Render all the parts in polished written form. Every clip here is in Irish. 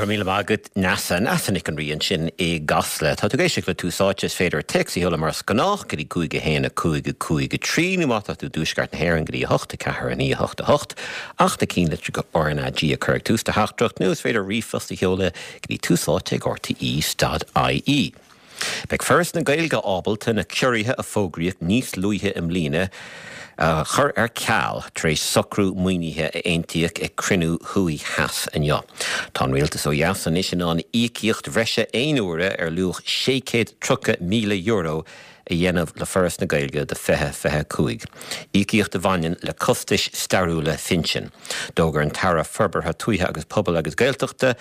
Go raibh míle maith agat, Neasa. Neasa Nic an Rí ansin i gCasla. Tá tú ag éisteacht le Tús Áite. Is féidir téacs a sheoladh mar is gnách go dtí 5 1 5 5 3 nó má tá tú i dtuaisceart na hÉireann go dtí 8 4 9 8 8 ach na cinnlitreacha RnaG a chur ag tús do theachtaireacht nó is féidir ríomhphost a sheoladh go dtí túsáite@rte.ie. Beidh Foras na Gaeilge ábalta na ciorruithe a fógraíodh níos luaithe i mbliana a chur ar ceal tar éis socrú maoinithe a aontaíodh ag cruinniú Thuaidh Theas inniu. Tá an rialtas ó dheas anois in ann íocaíocht bhreise aon uaire ar luach €630,000 a dhéanamh le Foras na Gaeilge do 2025, íocaíocht a bhaineann le costais stairiúla phinsin. D'fhógair an tAire Forbartha Tuaithe agus Pobail agus Gaeltachta,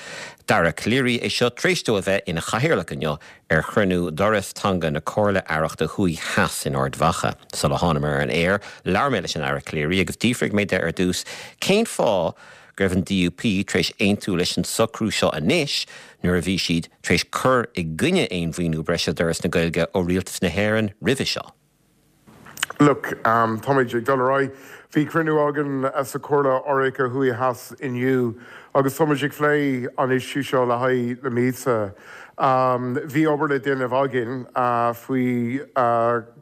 Dara Calleary, é seo tar éis dó a bheith ina chathaoirleach inniu ar chruinniú d'Fhoras Teanga na Comhairle Aireachta Thuaidh Theas in Ard Mhacha. Sula thánamar ar an aer, labhair mé leis an Aire Calleary agus d'fhiafraigh mé de ar dtús cén fáth go raibh an DUP tar éis aontú leis an socrú seo anois nuair a bhí siad tar éis cur i gcoinne aon mhaoiniú breise d'Fhoras na Gaeilge ó Rialtas na hÉireann roimhe seo. Look, táimid ag dul ar aghaidh. Bhí cruinniú againn sa Chomhairle Aireachta Thuaidh Theas inniu agus táimid ag plé an issue seo le haghaidh na míosa. Bhí obair le déanamh againn faoi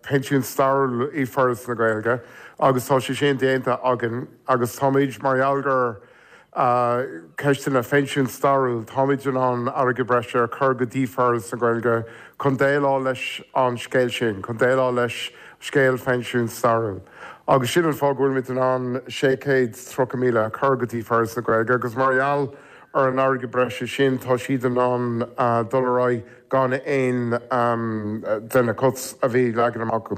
pensiún stairiúil i Foras na Gaeilge agus tá sé sin déanta againn agus táimid mar gheall gur ceisteanna phensiún stairiúil, táimid in ann airgead breise a chur go dtí Foras na Gaeilge chun déileáil leis an scéal sin, chun déileáil leis scéal phensiún stairiúil. Agus sin an fáth go bhfuilimid in ann 630,000 a chur go dtí Foras na Gaeilge agus mar gheall ar an airgead breise sin tá siad in ann dul ar aghaidh gan aon de na cuts a bhí leagan amach acu.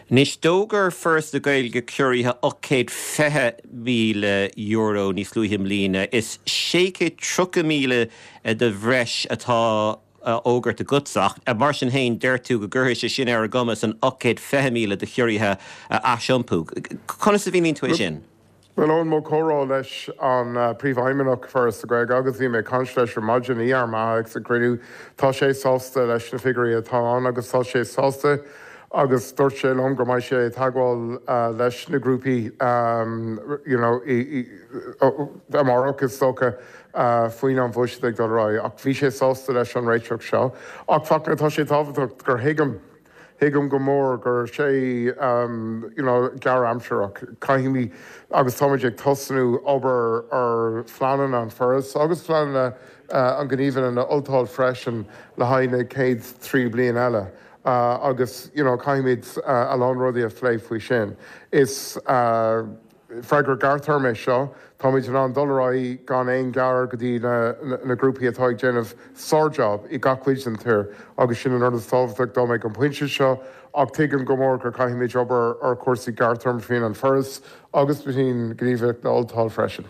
Anois, d'fhógair Foras na Gaeilge ciorruithe €820,000 níos luaithe i mbliana. Is 630,000 de bhreis atá á fhógairt agatsa, ach mar sin féin, deir tú go gcuirfidh sé sin ar a gcumas an 820,000 de chiorruithe a aisiompú. Conas a mhíníonn tú é sin? Bhuel, ón mo chomhrá leis an Príomhfheidhmeannach Foras na Gaeilge agus bhí mé ag caint leis ar maidin i Ard Mhacha ag sa gcruinniú, tá sé sásta leis na figiúirí atá ann agus tá sé sásta agus dúirt sé liom go mbeidh sé ag teagmháil leis na grúpaí you know amárach is dócha faoin an bhuiséad ag dul ar aghaidh ach bhí sé sásta leis an réiteach seo. Ach Fachtna, tá sé tábhachtach gur thuigim Thuigim go mór gur sé you know gearr-aimsireach. Caithfimid agus táimid ag tosnú obair ar phleananna an Foras agus phleananna an Ghníomhaire na Ultáil freisin le haghaidh na chéad 3 bliain eile agus you know caithfimid a lán rudaí a phlé faoi sin. Is. Freagra gearrthéarma é seo. Táimid in ann dul ar aghaidh gan aon ghearradh go dtí na grúpaí atá ag déanamh sár-job i gach cuid den tír agus sin an rud is tábhachtach dom ag an bpointe seo ach tuigim go mór gur caithfimid obair ar chúrsaí gearrthéarma faoin an Foras agus faoin Gníomhaireacht na Ultáil freisin.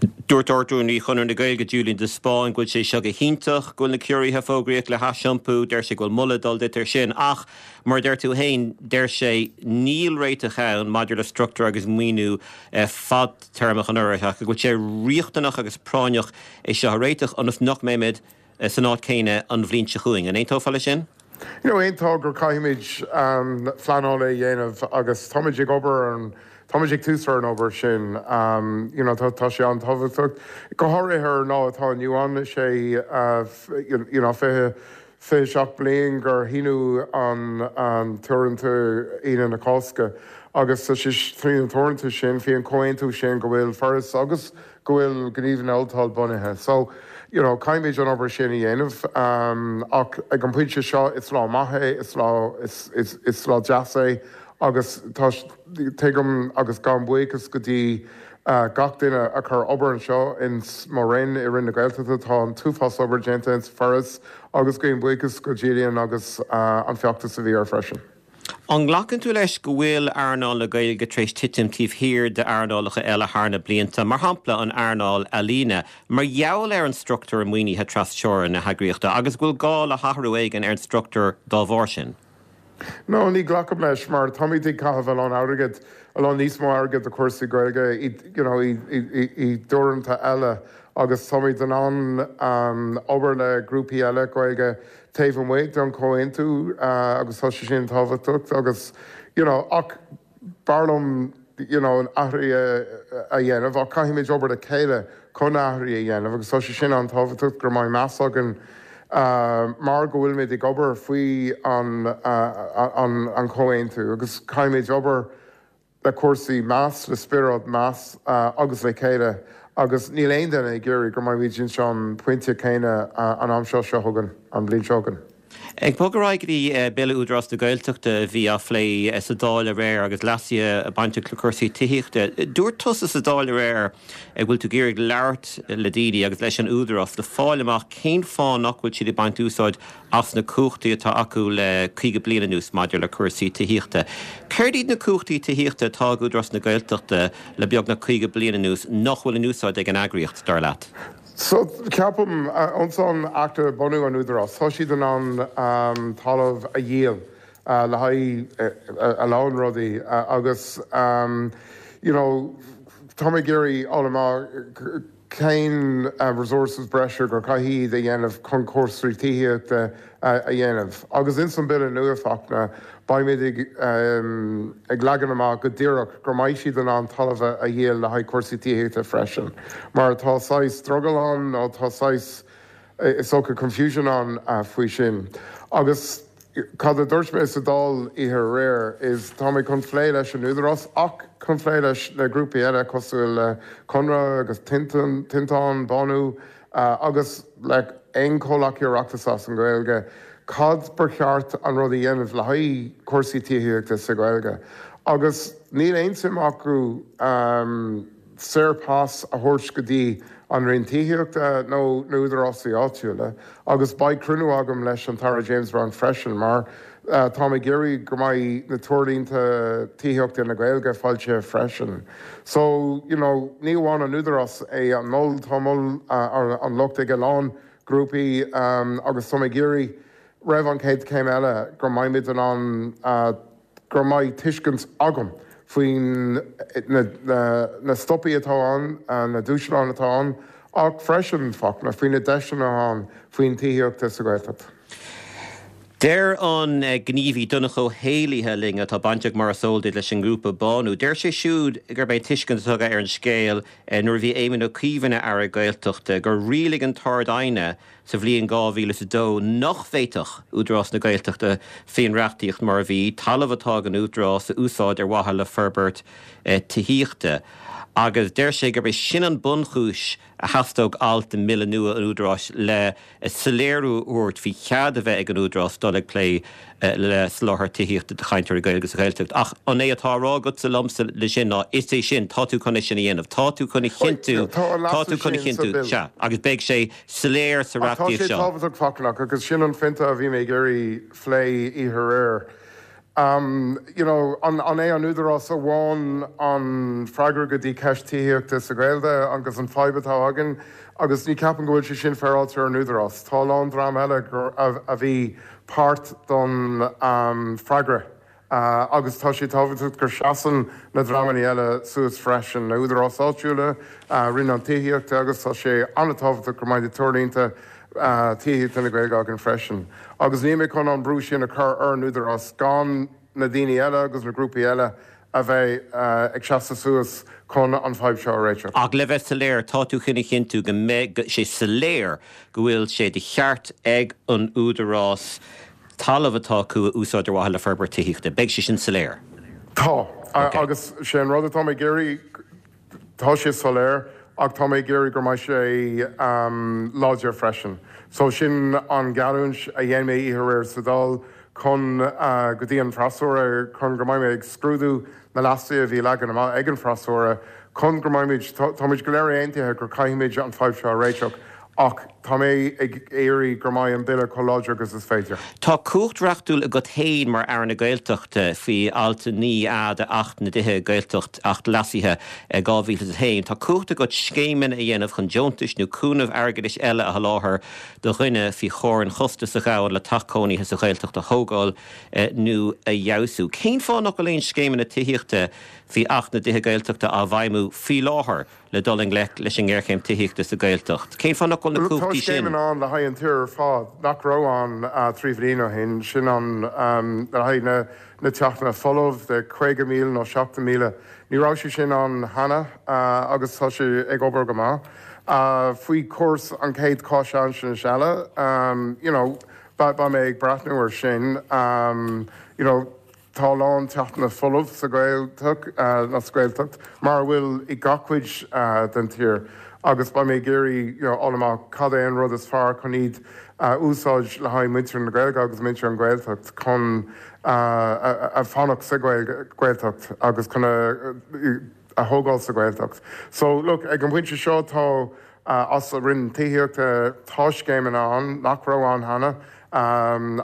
Dúirt Ard-Rúnaí Chonradh na Gaeilge Julian de Spáinn go bhfuil sé seo go hiontach, go bhfuil na ciorruithe a fógraíodh le haisiompú. Deir sé go bhfuil moladh ag dul duit ar sin ach, mar a deir tú féin, deir sé níl réiteach ann maidir le struchtúr agus maoiniú fadtéarmach an Fhorais ach go bhfuil sé riachtanach agus práinneach é seo a réiteach ionas nach mbeimid san áit chéanna an bhliain seo chugainn. An aontófá leis sin? You know, aontaím gur caithfimid pleanáil a dhéanamh agus táimid ag obair ar an, táimid ag tús ar an obair sin. You know, tá sé an-tábhachtach, go háirithe ar an lá atá inniu ann, is é you know, 20, 27 bliain gur shíniú an t-Aontú Aoine na Cásca agus tá sé tríd an t-aontú sin, faoi an comhaontú sin go bhfuil Foras agus go bhfuil Gníomhaire na Ultáil bunaithe. So, you know, caithfimid an obair sin a dhéanamh ach ag an bpointe seo is lá maith é, is lá, is, is, is lá deas é agus tá, tuigim agus gabhaim buíochas go dtí gach duine a chuir obair anseo ins mo Roinn, i Roinn na Gaeltachta, tá an t-uafás obair déanta ins Foras agus gabhaim buíochas go Julian agus an feachtas a bhí air freisin. An nglacann tú leis go bhfuil earnáil na Gaeilge tar éis titim taobh thiar d'earnálacha eile thar na blianta, mar shampla an earnáil ealaíne, mar gheall ar an struchtúr maoinithe tras-teorann na heagraíochta agus go bhfuil gá le hathrú éigin ar an struchtúr dá bharr sin? No, ní ghlacaim leis mar táimid ag caitheamh a lán airgid, a lán níos mó airgid do chúrsaí Gaeilge i you know i i dteoranta eile agus táimid in ann obair le grúpaí eile Gaeilge taobh amuigh den chomhaontú agus tá sé sin tábhachtach agus you know ach b'fhearr liom. you know athruithe a dhéanamh ach caithfimid obair le chéile chun athruithe a dhéanamh agus tá sé sin an-tábhachtach go mbeidh meas againn mar go bhfuilimid ag obair faoi an an chomhaontú agus caithfimid obair le cúrsaí meas, le spiorad meas agus le chéile agus níl aon duine ag iarraidh go mbeimid ins an pointe céanna an am seo seo chugainn, an bhliain seo chugainn. Ag bogadh ar aghaidh go dtí Bille Údarás na Gaeltachta a bhí á phlé sa Dáil aréir agus leasuithe bainteach le cúrsaí tithíochta. Dúirt tusa sa Dáil aréir go bhfuil tú ag iarraidh labhairt le daoine agus leis an Údarás le fáil amach cén fáth nach bhfuil siad ag baint úsáid as na cumhachtaí atá acu le 50 bliain anuas maidir le cúrsaí tithíochta. Céard iad na cumhachtaí tithíochta atá ag Údarás na Gaeltachta le beagnach 50 bliain anuas nach bhfuil in úsáid ag an eagraíocht, dar leat? So, ceapaim, ins an Acht bunú an Údarás, tá siad in ann talamh a dhíol le haghaidh a lán rudaí agus you know tá mé ag iarraidh fháil amach cén resources breise gur caithfidh iad a dhéanamh chun cúrsaí tithíochta a dhéanamh. Agus ins an Bille nua, Fachtna, beimid ag ag leagan amach go díreach go mbeidh siad in ann talamh a dhíol le haghaidh cúrsaí tithíochta freisin, mar tá saghas drogall ann nó tá saghas, is dócha, confusion ann faoi sin. Agus cad a dúirt mé sa Dáil oíche aréir is tá mé chun phlé leis an Údarás ach chun phlé leis na grúpaí eile cosúil le Conradh agus Tinteán, Bánú, agus le aon chomhleacaí Oireachtais as an Ghaeilge, cad ba cheart an rud a dhéanamh le haghaidh cúrsaí tithíochta sa Ghaeilge. Agus níl aon suim acu saor pas a thabhairt go dtí an Roinn Tithíochta nó na údarásaí áitiúla. Agus beidh cruinniú agam leis an tAire James Browne freisin mar táim ag iarraidh go mbeidh na treoirlínte tithíochta na Gaeilge foilsithe freisin. So, you know, ní amháin an Údarás é an mol, tá mol an locht ag a lán grúpaí agus táim ag iarraidh roimh an chéad chéim eile go mbeimid in ann, go mbeidh tuiscint agam faoin na stopaí atá ann, na dúshláin atá ann ach freisin, Fachtna, faoi na deiseanna atá ann faoin tithíochta sa Ghaeltacht. Deir an gníomhaí Donncha Ó hÉallaithe linn, atá bainteach mar is eol duit leis an ngrúpa Bánú, deir sé siúd gurb é an tuiscint atá aige ar an scéal nuair a bhí Éamon Ó Cuív ina Aire Gaeltachta gur rialaigh an tArd-Aighne sa bhliain 2002 nach bhféadfadh Údarás na Gaeltachta faoin reachtaíocht mar a bhí, talamh atá ag an Údarás a úsáid ar mhaithe le forbairt tithíochta agus deir sé gurb é sin an bunchúis a theastódh alt i mBille nua an Údaráis le soiléiriú a thabhairt faoi chead a bheith ag an Údarás dul ag plé le soláthar tithíochta do chainteoirí Gaeilge sa Ghaeltacht. Ach an é atá á rá agatsa liomsa le sin ná is é sin, tá tú chun é sin a dhéanamh, tá tú chun a chinntiú, tá tú chun a chinntiú, sea, agus beidh sé soiléir sa reachtaíocht seo. Ach tá sé tábhachtach, Fachtna, agus sin an phointe a bhí mé ag iarraidh phlé oíche aréir. You know, an é an Údarás amháin an freagra go dtí ceist tithíochta sa Ghaeilge agus an fadhb atá againn agus ní ceapaim go bhfuil sé sin féaráilte ar an Údarás. Tá a lán dream eile a bhí páirt don freagra agus tá sé tábhachtach gur seasann na dreamanna eile suas freisin, na údaráis áitiúla, Roinn an Tithíochta agus tá sé an-tábhachtach go mbeidh na treoirlínte tithíochta na Gaeilge againn freisin. Agus níl mé chun an brú sin a chur ar an Údarás gan na daoine eile agus na grúpaí eile a bheith ag seasamh suas chun an fadhb seo a réiteach. Ach le bheith soiléir, tá tú chun a chinntiú go mbeidh sé soiléir go bhfuil sé de cheart ag an Údarás talamh atá acu a úsáid ar mhaithe le forbairt tithíochta. Beidh sé sin soiléir. Tá. Agus sé an rud atá mé ag iarraidh, Tá sé soiléir ach tá mé ag iarraidh go mbeidh sé láidir freisin. So sin an geallúint a dhein mé oíche aréir sa Dáil chun go dtí an freasúra chun go mbeidh mé ag scrúdú na leasuithe a bhí leagan amach ag an freasúra chun go mbeimid, táimid go léir aontaithe gur caithfimid an fadhb seo a réiteach Ach tá mé ag iarraidh go mbeidh an Bille chomh láidir agus is féidir. Tá cumhacht reachtúil agat féin mar Aire na Gaeltachta faoi Alt 9A de Acht na dTithe, Gaeltacht, Acht Leasaithe, 2001. Tá cumhacht agat scéimeanna a dhéanamh chun deontais nó cúnamh airgeadais eile a sholáthar do dhuine faoi chomhair an chostais a ghabhann le teach cónaithe sa Ghaeltacht a thógáil nó a fheabhsú. Cén fáth nach bhfuil aon scéimeanna tithíochta faoi Acht na dTithe Gaeltachta á bhfeidhmiú faoi láthair? le dul i ngleic leis an ngéarchéim tithíochta sa Ghaeltacht? Cén fáth nach bhfuil na cumhachtaí. cumhachtaí sin. Tá scéimeanna ann le haghaidh an tír ar fad nach raibh ann 3 bhliain ó shin, sin an le haghaidh na na teachtanna folamh de 50,000 nó 70,000. Ní raibh sé sin ann cheana agus tá sé ag obair go maith. Faoi chúrsa an chéad cháinaisnéis eile, you know, beidh mé ag breathnú ar sin, you know, tá a lán teachtanna folamh sa Ghaeltacht, nó sa Ghaeltacht, mar a bhfuil i gach cuid den tír agus beidh mé ag iarraidh, you know, fháil amach cad é an rud is fearr chun iad a úsáid le haghaidh muintir na Gaeilge agus muintir an Ghaeltacht chun a fanacht sa Ghaeltacht agus chun a thógáil sa Ghaeltacht. So, look, ag an bpointe seo tá as an Roinn Tithíochta, tá scéimeanna ann nach raibh ann cheana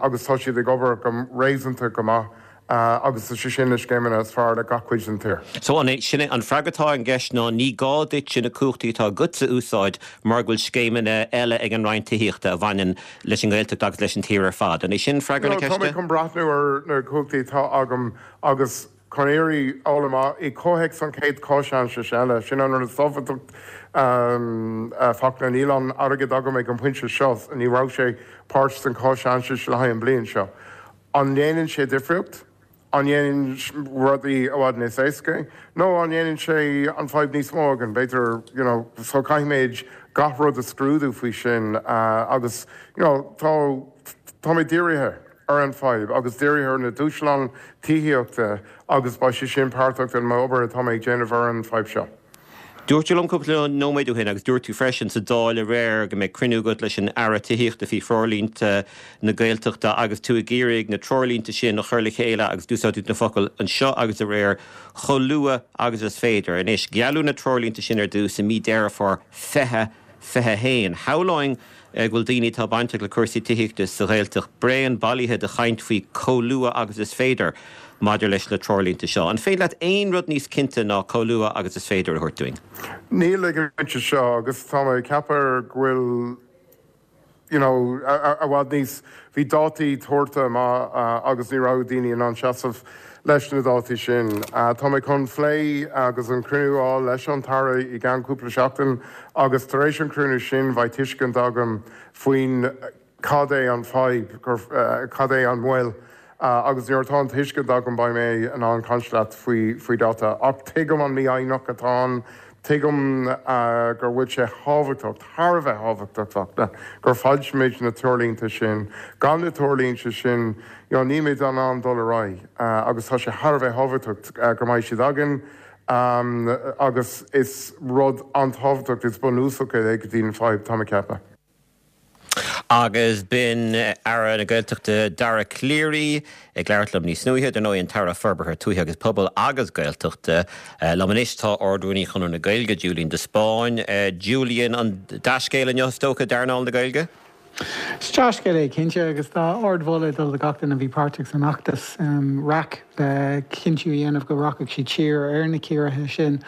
agus tá siad ag obair go réasúnta go maith agus is é sin na scéimeanna is fearr le gach cuid den tír. So an é sin é an freagra atá ar an gceist ná ní gá duitse na cumhachtaí atá agatsa a úsáid mar go bhfuil scéimeanna eile ag an Roinn Tithíochta a bhaineann leis an nGaeltacht agus leis an tír ar fad. An é sin freagra na ceiste? Tá mé chun breathnú ar na cumhachtaí atá agam agus chun iarraidh fháil amach i gcomhthéacs an chéad cháinaisnéis eile, sin an rud is tábhachtach a Fachtna, níl an airgead agam ag an bpointe seo, ní raibh sé páirt den cháinaisnéis le haghaidh an bliain seo. An ndéanann sé difríocht? An ndéanann rudaí i bhfad níos éasca? Nó an ndéanann sé an fadhb níos mó againn? B'fhéidir, you know, so caithfimid gach rud a scrúdú faoi sin agus, you know, tá, tá mé dírithe ar an fadhb agus dírithe ar na dúshláin tithíochta agus beidh sé sin páirteach den m'obair atá mé ag déanamh ar an fadhb seo. Dúirt tú liom cúpla nóiméad ó shin, agus dúirt tú freisin sa Dáil aréir, go mbeidh cruinniú agat leis an Aire Tithíochta faoi threoirlínte na Gaeltachta agus tú ag iarraidh na treoirlínte sin a chur le chéile agus d'úsáid tú na focail anseo agus aréir chomh luath agus is féidir. Anois, gealladh na treoirlínte sin ar dtús i mí Deireadh Fómhair 2021. Shamhlóinn go bhfuil daoine atá bainteach le cúrsaí tithíochta sa Ghaeltacht bréan bailithe de chaint faoi chomh luath agus is féidir maidir leis na treoirlínte seo. An féidir leat aon rud níos cinnte ná chomh luath agus is féidir a thabhairt dúinn? Níl ag an bpointe seo agus tá mé ag ceapadh go bhfuil you know i bhfad níos, bhí dátaí tabhartha amach agus ní raibh daoine in ann seasamh leis na dátaí sin. Tá mé chun phlé agus an cruinniú a fháil leis an tAire i gceann cúpla seachtain agus tar éis an cruinniú sin beidh tuiscint agam faoin cad é an fadhb, cad é an mhoill agus nuair atá an tuiscint agam beidh mé in ann caint leat faoi dáta. Ach tuigim an mífhoighneach atá ann, tuigim gur bhfuil sé thábhachtach, thar a bheith thábhachtach, Fachtna, gur foilsímid na treoirlínte sin. Gan na treoirlínte sin, you know, nílimid in ann dul ar aghaidh agus tá sé thar a bheith thábhachtach go mbeidh siad againn agus is rud an-tábhachtach, is bunúsach é go dtí an fadhb, tá mé ag ceapadh. Agus b'in Aire na Gaeltachta Dara Calleary ag labhairt liom níos luaithe, dar ndóigh an tAire Forbartha Tuaithe agus Pobail agus Gaeltachta. Liom anois tá Ard-Rúnaí Chonradh na Gaeilge, Julian de Spáinn. Julian, an dea-scéal inniu is dócha d'earnáil na Gaeilge? Is dea-scéal é cinnte agus tá ardmholadh ag dul do gach duine a bhí páirteach san fheachtas raic le cinntiú a dhéanamh go rachadh siad siar ar na ciorruithe sin.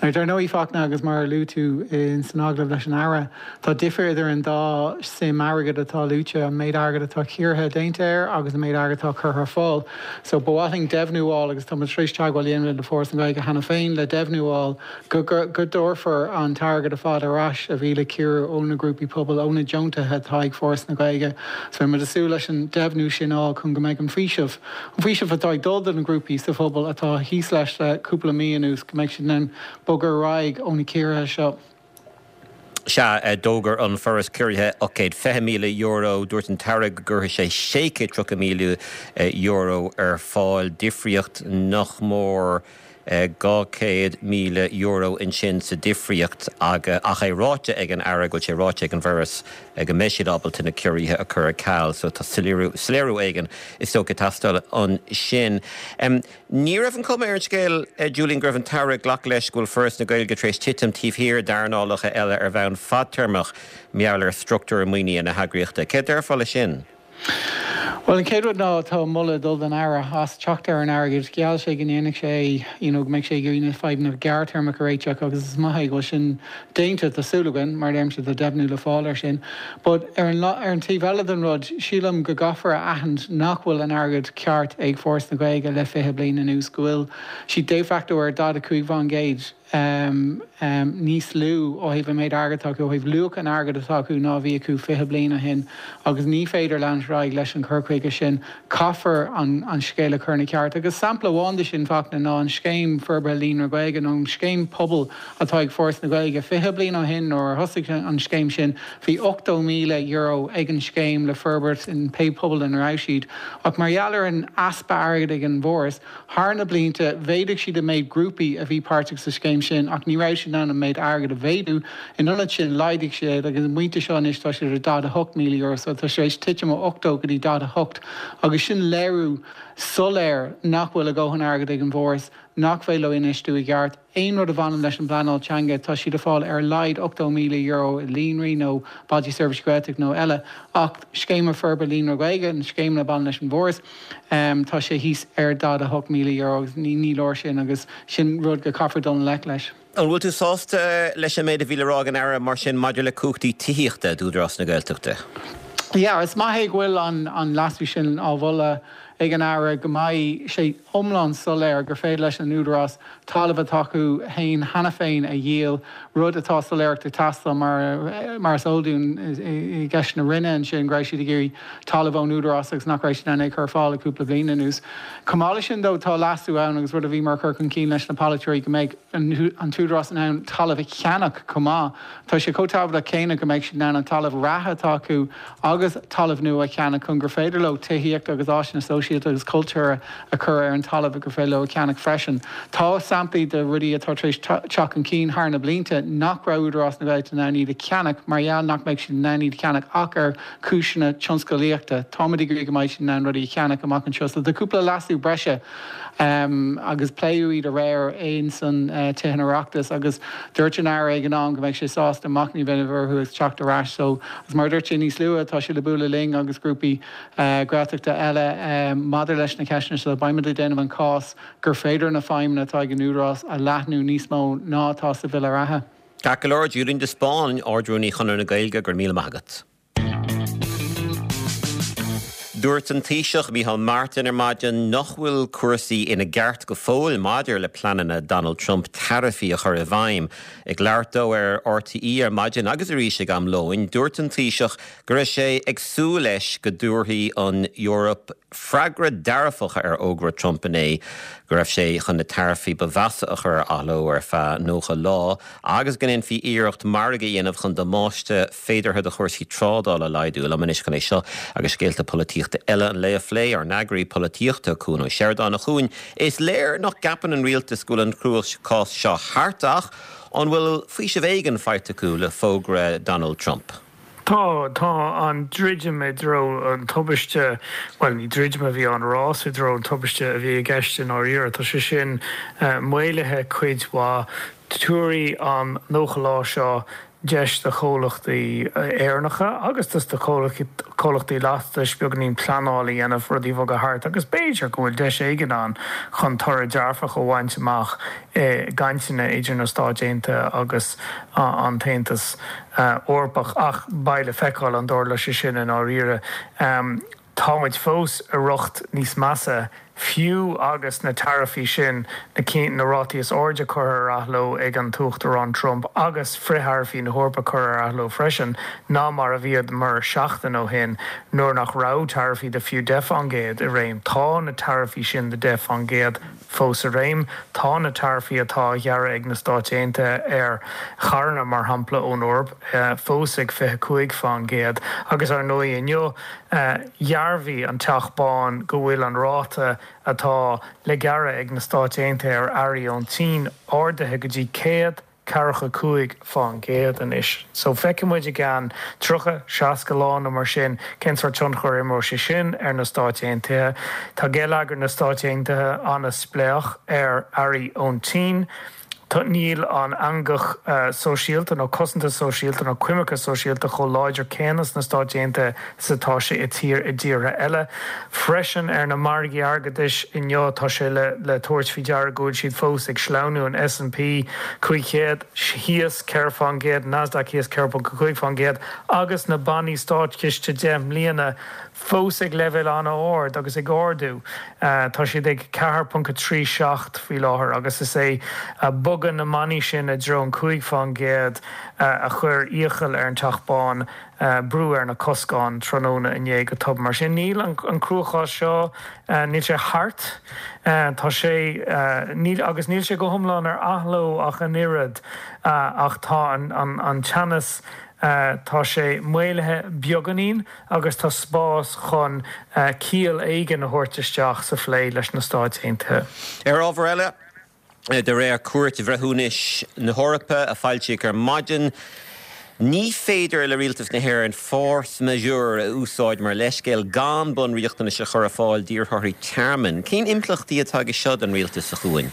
Now dar ndóigh Fachtna agus mar a luaigh tú san agallamh leis an Aire, tá difear idir an dá suim airgid atá luaite, an méid airgid atá ciorraithe déanta air agus an méid airgid atá curtha ar fáil. So ba mhaith linn deimhniú a fháil agus tá muid tar éis teagmháil a dhéanamh le Foras na Gaeilge cheana féin le deimhniú a fháil go dtabharfar an t-airgead ar fad ar ais a bhí le ciorrú ó na grúpaí pobail, ó na deontuithe atá ag Foras na Gaeilge. So beidh muid ag súil leis an deimhniú sin a fháil chun go mbeidh an faoiseamh, an faoiseamh atá ag dul do na grúpaí sa phobal atá thíos leis le cúpla mí anuas, go mbeidh siad in ann bogadh ar aghaidh ó na ciorruithe seo. Sea, d'fhógair an Foras ciorruithe €820,000. Dúirt an tAire go gcuirfidh sé €630,000 ar fáil, difríocht nach mór €200,000 ansin sa difríocht ach é ráite ag an Aire go bhfuil sé ráite ag an bhForas go mbeidh siad ábalta na ciorruithe a chur ar ceal so tá soiléiriú éigin is dócha ag teastáil ansin. Ní raibh an chuma ar an scéal, Julian, go raibh an tAire ag glacadh leis go bhfuil Foras na Gaeilge tar éis titim taobh thiar d'earnálacha eile ar bhonn fadtéarmach mar gheall ar struchtúr maoinithe na heagraíochta. Céard déarfá leis sin? Bhuel, an chéad rud ná tá moladh ag dul don Aire as teacht ar an airgead. Gheall sé go ndéanfadh sé é, you know, go mbeadh sé ag iarraidh na fadhbanna gearrthéarmacha a réiteach agus is maith é go bhfuil sin déanta, tá súil againn, mar a deirimse, tá deimhniú le fáil air sin. But ar an, ar an taobh eile den rud, sílim go gcaithfear a aithint nach bhfuil an airgead ceart ag Foras na Gaeilge le 20 bliain anuas, go bhfuil siad de facto ar 45%. níos lú ó thaobh an méid airgid atá acu, ó thaobh luach an airgid atá acu ná a bhí acu 20 bliain ó shin agus ní féidir leanúint ar aghaidh leis an chur chuige sin. Caithfear an scéal a chur ina cheart. Agus sampla amháin de sin, Fachtna, ná an Scéim Forbartha Líonra Gaeilge nó an Scéim Pobail atá ag Foras na Gaeilge. 20 bliain ó shin nuair a thosaigh an scéim sin bhí €80,000 ag an scéim le forbairt in pé pobal ina raibh siad. Ach mar gheall ar an easpa airgid ag an bhForas, Thar na blianta, mhéadaigh siad an méid grúpaí a bhí páirteach sa scéim sin ach ní raibh siad in ann an méid airgid a mhéadú. In ionad sin, laghdaigh siad agus an pointe seo anois tá siad ar €48,000 so tá sé tar éis titim ó 80 go dtí 48 agus sin léiriú soiléir nach bhfuil a dhóthain airgid ag an bhForas, nach féidir leo infheistiú i gceart. Aon rud a bhaineann leis an bpleanáil teanga, tá siad ag fáil ar a laghad €80,000 i líonraí nó Bailte Seirbhíse Gaeltachta nó eile, ach Scéim Forbartha Líonra Gaeilge, na scéimeanna a bhaineann leis an bhForas, tá sé thíos ar €48,000 agus ní leor sin agus sin rud go caithfear dul i ngleic leis. An bhfuil tú sásta leis an méid a bhí le rá ag an Aire mar sin maidir le cumhachtaí tithíochta d'Údarás na Gaeltachta? Yeah, is maith é go bhfuil an leasú sin á mholadh ag an Aire, go mbeidh sé iomlán soiléir gur féidir leis an Údarás talamh atá acu féin cheana féin a dhíol, rud atá soiléireacht ag teastáil mar mar is eol dúinn i gceist na Rinne ansin go raibh siad ag iarraidh talamh ón Údarás agus nach raibh siad in ann é a chur ar fáil le cúpla bliain anuas. Chomh maith leis sin though tá leasú ann agus rud a bhíomar ag cur chun cinn leis na polaiteoirí go mbeidh an tÚdarás in ann talamh a cheannach chomh maith. Tá sé chomh tábhachtach céanna go mbeidh siad in ann an talamh reatha atá acu agus talamh nua a cheannach chun gur féidir leo tithíocht agus áiseanna sóisialta agus cultúrtha a chur ar an talamh gur féidir leo a cheannach freisin. Tá samplaí de rudaí atá tar éis teacht chun cinn thar na blianta nach raibh Údarás na Gaeltachta in ann iad a cheannach mar gheall nach mbeadh siad in ann iad a cheannach ach ar chúiseanna tionscalaíochta. Táimid ag iarraidh go mbeidh siad in ann rudaí a cheannach amach anseo. So tá cúpla leasú breise agus pléadh iad aréir ins an Tithe an Oireachtais agus dúirt an Aire ag an am go mbeidh sé sásta machnamh a dhéanamh orthu agus teacht ar ais. So agus mar a dúirt sé níos luaithe tá sé le bualadh linn agus grúpaí Gaeltachta eile maidir leis na ceisteanna seo. Beimid ag déanamh an cás gur féidir na feidhmeanna atá ag an Údarás a leathnú níos mó ná atá sa Bhille reatha. Ceart go leor, Julian de Spáinn, Ard-Rúnaí Chonradh na Gaeilge, go raibh míle maith agat. Dúirt an Taoiseach Micheál Martin ar maidin nach bhfuil cúrsaí ina gceart go fóill maidir le pleananna Donald Trump taraifí a chur i bhfeidhm. Ag labhairt dó ar RTÉ ar maidin agus arís ag am lóin, dúirt an Taoiseach go raibh sé ag súil leis go dtabharfaidh an Eoraip freagra dearfach ar fhógra Trump inné go raibh sé chun na taraifí ba mheasa a chur ar athló ar feadh 90 lá agus go ndéanfaí iarracht margadh a dhéanamh chun damáiste féideartha do chúrsaí trádála a laghdú. Liom anois chun é seo agus scéalta polaitíochta eile an lae a phlé, ár n-eagraí polaitíochta, Cuan Ó Seireadáin. A Chuain, is léir nach gceapann an rialtas go bhfuil an cruachás seo thart ach an bhfuil faoiseamh éigin faighte acu le fógra Donald Trump? Tá, tá an druidim i dtreo an tubaiste, bhuel ní druidim a bhí ann, rás i dtreo an tubaiste a bhí i gceist i ndáiríre. Tá sé sin maolaithe cuid mhaith. Tabharfaidh an 90 lá seo deis do chomhlachtaí Éireannacha agus do chomhlachtaí lastais beagáinín pleanáil a dhéanamh, rudaí a bhogadh thart agus b'fhéidir go bhfuil deis éigin ann chun toradh dearfach a bhaint amach i gcainteanna idir na Stáit Aontaithe agus an tAontas Eorpach. Ach beidh le feiceáil an dtarlóidh sé sin i ndáiríre. Tá muid fós i riocht níos measa, fiú agus na taraifí sin, na cinn, na rátaí is airde curtha ar athló ag an tUachtarán Trump agus frith-tharaifí na hEorpa curtha ar athló freisin, ná mar a bhíomar seachtain ó shin nuair nach raibh taraifí de fiú 10 fán gcéad i réim. Tá na taraifí sin de 10 fán gcéad fós i réim. Tá na taraifí atá á ghearradh ag na Stáit Aontaithe ar charranna, mar shampla, ón Eoraip, fós ag 25 fán gcéad. Agus ar ndóigh inniu, dhearbhaigh an Teach Bán go bhfuil an ráta atá le gearradh ag na Stáit Aontaithe ar earraí ón tSín ardaithe go dtí 145 fán gcéad anois. So feicfidh muid i gceann 30, 60 lá nó mar sin cén sórt tionchar a imreoidh sé sin ar na Stáit Aontaithe. Tá geilleagar na Stáit Aontaithe an-spléach ar earraí ón tSín. Níl an eangach sóisialta nó cosanta sóisialta nó coimirce sóisialta chomh láidir céanna sna Stáit Aontaithe is atá sé i tír i dtíortha eile. Freisin ar na margaí airgeadais inniu tá sé le le tabhairt faoi deara go bhfuil siad fós ag sleamhnú, an S&P 500 thíos 4 fán gcéad, Nasdaq thíos 4.5 fán gcéad agus na bannaí státchiste 10 mbliana fós ag leibhéal an-ard agus ag ardú. Tá siad ag 4.37 faoi láthair agus is é. bogadh na mbannaí sin i dtreo an 5% a chuir iachall ar an Teach Bán brú ar na coscáin tráthnóna inné go tobann. Mar sin, níl an cruachás seo, níl sé thart. Tá sé, níl, agus níl sé go hiomlán ar athló ach an oiread, ach tá an teannas, tá sé maolaithe beagáinín agus tá spás chun ciall éigin a thabhairt isteach sa phlé leis na Stáit Aontaithe. Ar ábhar eile, De réir Cúirt Bhreithiúnais na hEorpa a foilsíodh ar maidin, ní féidir le Rialtas na hÉireann force majeure a úsáid mar leithscéal gan bunriachtanais a chur ar fáil d'iarrthóirí tearmainn. Cén impleachtaí atá aige seo don rialtas, a Chuain?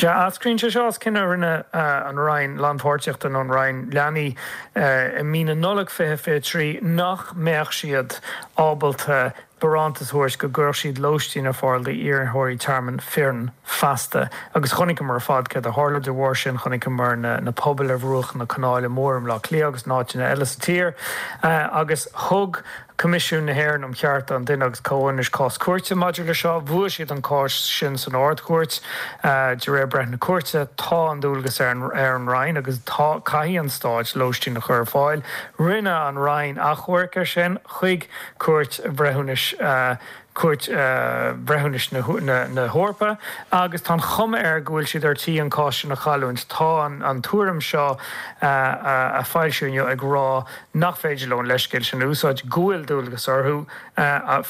Sea, eascraíonn sé seo as cinneadh a rinne an Roinn Lánpháirtíochta nó an Roinn Leanaí i mí na Nollag 2023 nach mbeadh siad ábalta barántas a thabhairt go gcuirfeadh siad lóistín ar fáil d'iarrthóirí tearmainn fireann feasta. Agus chonaiceamar ar fad céard a tharla de bharr sin, chonaiceamar na pubaill ar bhruach na Canála Móire i mBleá Cliath agus in áiteanna eile sa tír. Agus thug Coimisiún na hÉireann um Chearta an Duine agus Comhionannais cás cúirte maidir le seo. Bhuaigh siad an cás sin san Ard-Chúirt. De réir breith na cúirte, tá an dualgas ar an Roinn agus tá, caithfidh an Stát lóistín a chur ar fáil. Rinne an Roinn achomharc air sin chuig Cúirt Bhreithiúnais Cúirt Bhreithiúnais na hEorpa agus tá an chuma air go bhfuil siad ar tí an cás sin a chailliúint. Tá an tuairim seo a foilsíodh inniu ag rá nach féidir leo an leithscéal sin a úsáid, go bhfuil dualgas orthu,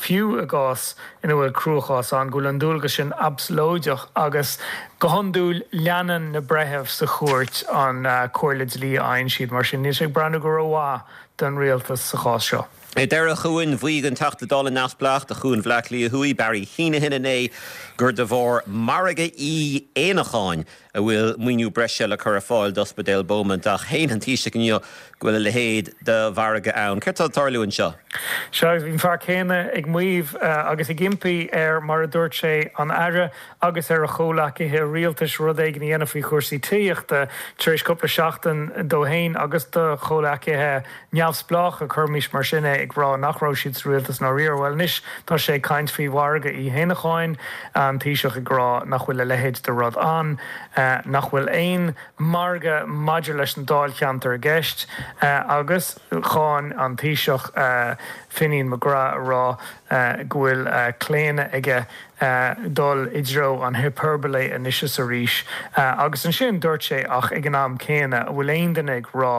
fiú i gcás ina bhfuil cruachás ann, go bhfuil an dualgas sin absalóideach agus go hiondúil leanann na breithimh sa chúirt an comhairle dlí a fhaigheann siad. Mar sin níl sé ag breathnú go rómhaith don rialtas sa chás seo. Ar deireadh, a Chuain, mhaígh an Teachta Dála neamhspleách do Chuan Bhaile Átha Cliath Thuaidh, Barry Heneghan inné gur de bharr margadh Uí Éanacháin a bhfuil maoiniú breise le cur ar fáil d'Ospidéal Beaumont ach shéan an Taoiseach inniu go bhfuil a leithéid de mhargadh ann. Céard tá ag tarlú anseo? Sea, agus bhí an fear céanna ag maíomh agus ag impí ar, mar a dúirt sé, an Aire agus ar a chomhleacaithe rialtais rud éigin a dhéanamh faoi chúrsaí tithíochta tar éis cúpla seachtain dó féin agus do chomhleacaithe neamhspleácha, cuirimis mar sin é, ag rá nach raibh siad sa rialtas i ndáiríre. Bhuel, anois tá sé ag caint faoi mhargadh Uí hÉanacháin, an Taoiseach ag rá nach bhfuil a leithéid de rud ann, nach bhfuil aon mhargadh maidir leis an dáilcheantar i gceist agus cháin an Taoiseach Finian McGrath a rá go bhfuil claonadh aige dul i dtreo an hyperbole anois is arís. Agus ansin dúirt sé ach ag an am céanna, an bhfuil aon duine ag rá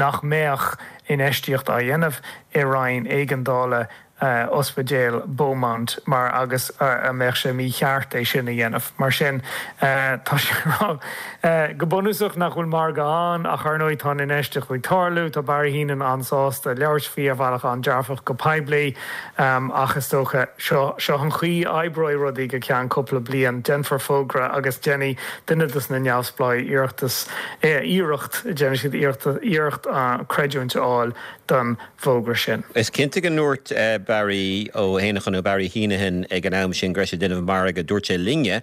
nach mbeadh infheistíocht á dhéanamh i roinn éigeandála Ospidéal Beaumont mar agus an mbeadh sé mícheart é sin a dhéanamh? Mar sin tá sé ag rá go bunúsach nach bhfuil margadh ann ach ar ndóigh tá an infheistíocht ag tarlú, tá Barry Heneghan an-sásta labhairt faoi ar bhealach an-dearfach go poiblí. Ach is dócha, seo, seo an chaoi a oibreoidh rudaí go ceann cúpla bliain. Déanfar fógra agus déanfaidh duine dos na neamhspleáigh iarratas, iarracht, déanfaidh siad iarracht, iarracht creidiúint a fháil don bhfógra sin. Is cinnte go ndúirt Barry Ó hÉanacháin nó Barry Heneghan ag an am sin go raibh sé ag déanamh margaidh. Dúirt sé linne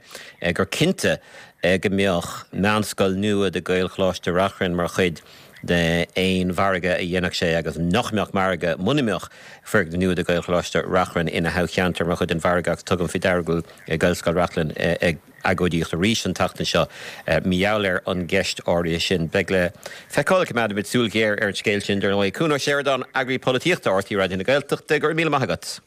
gur cinnte go mbeadh meánscoil nua do Ghaelcholáiste Reachrann mar chuid d'aon mhargadh a dhéanfadh sé agus nach mbeadh margadh muna mbeadh foirgneamh nua do Ghaelcholáiste Reachrann ina thoghcheantar mar chuid den mhargadh agus tugaim faoi deara go bhfuil Gaelscoil Reachrann ag agóidíocht arís an tseachtain seo mar gheall ar an gceist áirithe sin. Beidh le feiceáil, coimeádfaimid súil ghéar ar an scéal sin dar ndóigh. Cuan Ó Seireadáin, Eagraí Polaitíochta RTÉ Raidió na Gaeltachta, go raibh míle maith agat.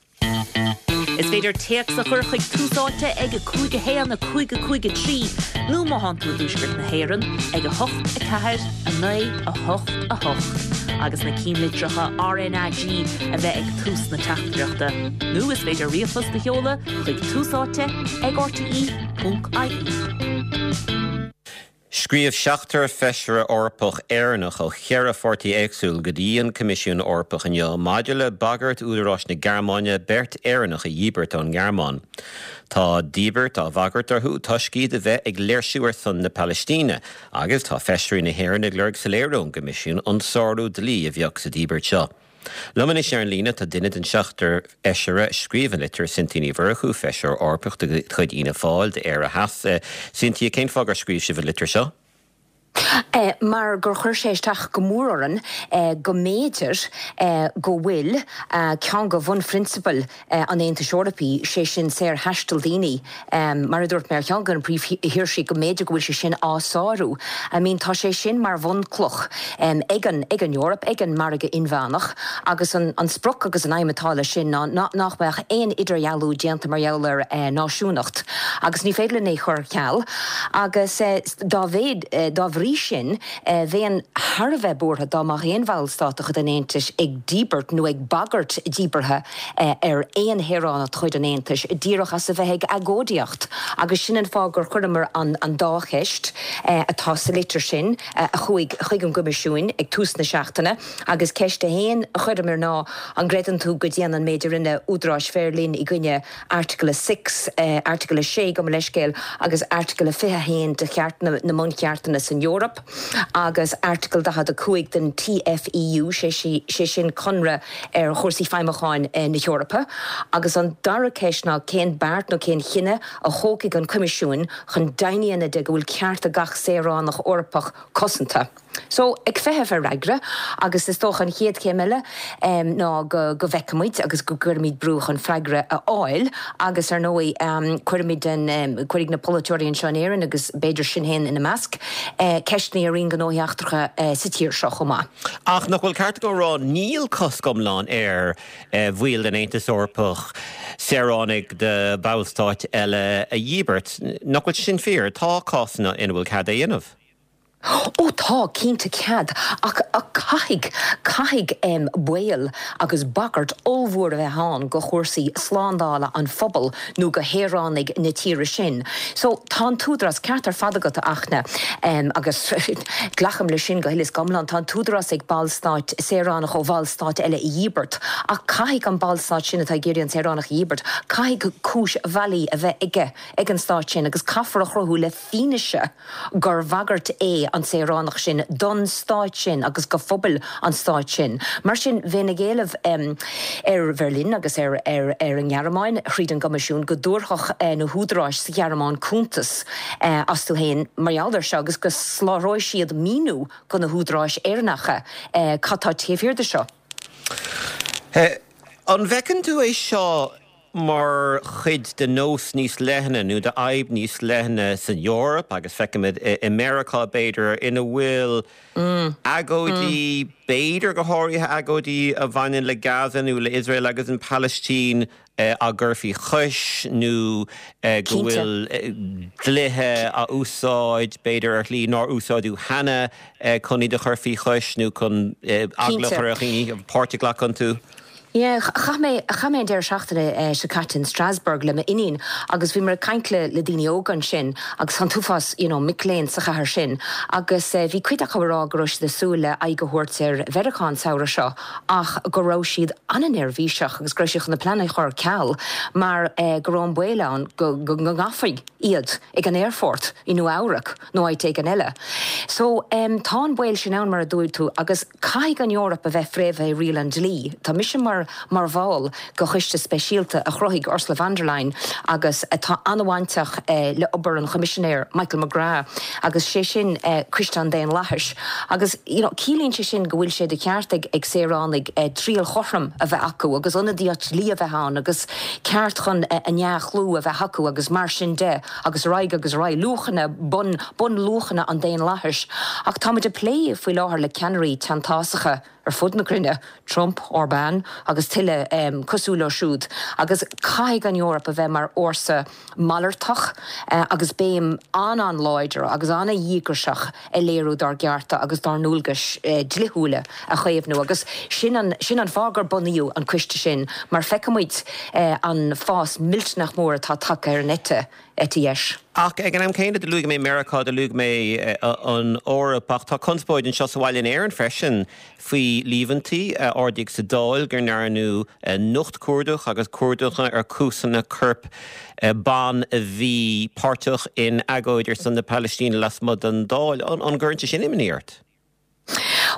Is féidir téacs a chur chuig Tús Áite ag 5 1 5 5 3 nó má thánn tú i dTuaisceart na hÉireann ag 8 4 9 8 8 agus na cinnlitreacha RnaG a bheith ag tús na teachtaireachta. Nó is féidir ríomhphost a sheoladh chuig Tús Áite ag rte.ie. Scríobh seachtar feisire Eorpach Éireannach ó cheithre pháirtí éagsúil go dtí an Coimisiún Eorpach inniu maidir le bagairt údaráis na Gearmáine beirt Éireannach a dhíbirt ón nGearmáin. Tá díbirt á bhagairt orthu toisc iad a bheith ag léirsiú ar son na Palaistíne agus tá feisirí na hÉireann ag lorg soiléiriú ón gCoimisiún an sárú dlí a bheadh sa díbirt seo. Liom anois ar an líne tá duine den seachtar feisire a scríobh an litir, Cynthia Ní Mhurchú, feisire Eorpach de chuid Fhianna Fáil d'Éire Theas. Cynthia, cén fáth gur scríobh sibh an litir seo? Mar gur chuir sé isteach go mór orainn go mb'fhéidir go bhfuil ceann de bhunphrionsabail an Aontais Eorpaigh, sé sin saorthaisteal daoine, mar a dúirt mé, ar cheann de na príomhshaoirsí, go mb'fhéidir go bhfuil sé sin á sárú. I mean tá sé sin mar bhunchloch ag an ag an Eoraip, ag an margadh inmheánach agus an sprioc agus an aidhm atá leis sin ná nach mbeadh aon idirdhealú déanta mar gheall ar náisiúnacht agus ní féidir linn é a chur ar ceal agus dá mhéad, dá bhrí sin, bheinn thar a bheith buartha dá mbeadh aon bhallstát de chuid an Aontais ag díbirt nó ag bagairt díbeartha ar aon shaoránach de chuid an Aontais díreach as a bheith ag agóidíocht. Agus sin an fáth gur chuireamar an dá cheist atá sa litir sin a chuaigh chuig an gCoimisiún ag tús na seachtaine. Agus ceist a haon a chuireamar ná, an gcreideann tú go dtéann an méid a rinne údaráis Bheirlín i gcoinne Airteagal 6, Airteagal 6, gabh mo leithscéal, agus Airteagal 21 de Chairt na mBuncheartanna san Eoraip agus Airteagal 45 den TFEU, sé sin Conradh ar chúrsaí feidhmiúcháin na hEorpa. Agus an dara ceist ná cén beart nó cén chinneadh a thógfaidh an Coimisiún chun deimhin a dhéanamh de go bhfuil cearta gach saoránach Eorpach cosanta. So, ag feitheamh ar fhreagra, agus is dócha an chéad chéim eile ná go go bhfeicfimid agus go gcuirfimid brú chun freagra a fháil agus ar ndóigh cuirfimid an, cuirfidh na polaiteoirí anseo in Éirinn agus b'fhéidir Sinn Féin ina measc, ceisteanna ar Roinn Gnóthaí Eachtracha sa tír seo chomh maith. Ach nach bhfuil ceart agam a rá níl cosc iomlán ar bhaill den Aontas Eorpach saoránaigh de bhallstáit eile a dhíbirt. Nach bhfuil sé sin fíor? Tá cásanna ina bhfuil cead é a dhéanamh. Ó tá, cinnte cead, ach caithfidh, caithfidh baol agus bagairt ollmhór a bheith ann go chúrsaí slándála an phobail nó go shaoránaigh na tíre sin. So, tá an t-údarás, ceart ar fad agat a Fhachtna, agus glacaim leis sin go huile is go hiomlán, tá an t-údarás ag ballstáit saoránach ó bhallstáit eile a dhíbirt, ach caithfidh an ballstát sin atá ag iarraidh an saoránach a dhíbirt, caithfidh cúis bhailí a bheith aige, ag an stát sin agus caithfear a chruthú le fianaise gur bhagairt é an saoránach sin don stát sin agus go phobail an stáit sin. Mar sin, bheinn ag éileamh ar Bheirlín agus ar ar an nGearmáin, thríd an gCoimisiún, go dtabharfadh na húdaráis sa Ghearmáin cuntas astu féin mar gheall air seo agus go soláthróidh siad míniú go na húdaráis Éireannacha cad tá taobh thiar de seo. An bhfeiceann tú é seo mar chuid de nós níos leithne nó d'fhadhb níos leithne san Eoraip agus feicimid i Meiriceá, b'fhéidir, ina bhfuil agóidí, b'fhéidir go háirithe agóidí a bhaineann le Gaza nó le Iosrael agus an Phalaistín á gcur faoi chois nó go bhfuil dlíthe á úsáid, b'fhéidir ar shlí nár úsáideadh cheana chun iad a chur faoi chois nó chun eagla a chur ar dhaoine páirt a ghlacadh iontu. Yeah, chaith mé, chaith mé an deireadh seachtaine seo caite in Strasbourg le m'iníon agus bhíomar ag caint le, le daoine óga ansin agus tá an t-uafás, you know, mic léinn sa chathair sin agus bhí cuid acu ag rá go raibh siad ag súil le aghaidh a thabhairt ar Mheiriceá an samhradh seo ach go raibh siad an-neirbhíseach agus go raibh siad chun na pleananna a chur ar ceal mar go raibh an baol ann go, go ngabhfaí iad ag an aerfort i Nua Eabhrac nó áit éigin eile. So, tá an baol sin ann mar a dúirt tú agus. Caithfidh an Eoraip a bheith fréamhaithe i riail an dlí. Tá mise mar mar bhall de choiste speisialta a chruthaigh Ursula von der Leyen agus atá an-bhainteach le obair an Choimisinéir Michael McGrath agus sé sin Coiste an Daonlathais. Agus you know ciallaíonn sé sin go bhfuil sé de cheart ag ag saoránaigh triail chothrom a bheith acu agus ionadaíocht dlí a bheith ann agus ceart chun a ndea-chlú a bheith acu agus mar sin de. agus ar aghaidh agus ar aghaidh, luachanna, bun, bunluachanna an daonlathais. Ach táimid ag plé faoi láthair le ceannairí teanntásacha ar fud na cruinne, Trump, Orbán agus tuilleadh cosúil leo siúd, agus caithfidh an Eoraip a bheith mar fhórsa malartach agus béim an-an-láidir agus an-dhíograiseach a léiriú dár gcearta agus dár ndualgais dlíthiúla a chaomhnú agus sin an sin an fáth gur bunaíodh an coiste sin mar feicimid an fás millteanach mór atá tagtha ar an eite eite dheis. Ach ag an am céanna, do luaigh mé Meiriceá, do luaigh mé an Eoraip, ach tá conspóid anseo sa bhaile in Éirinn freisin faoi líomhaintí a ardaíodh sa Dáil go ndearnadh nochtchuardach agus cuardach ar chuasanna coirp ban a bhí páirteach in agóid ar son na Palaistíne lasmuigh den Dáil. An gcuireann sé sin imní ort?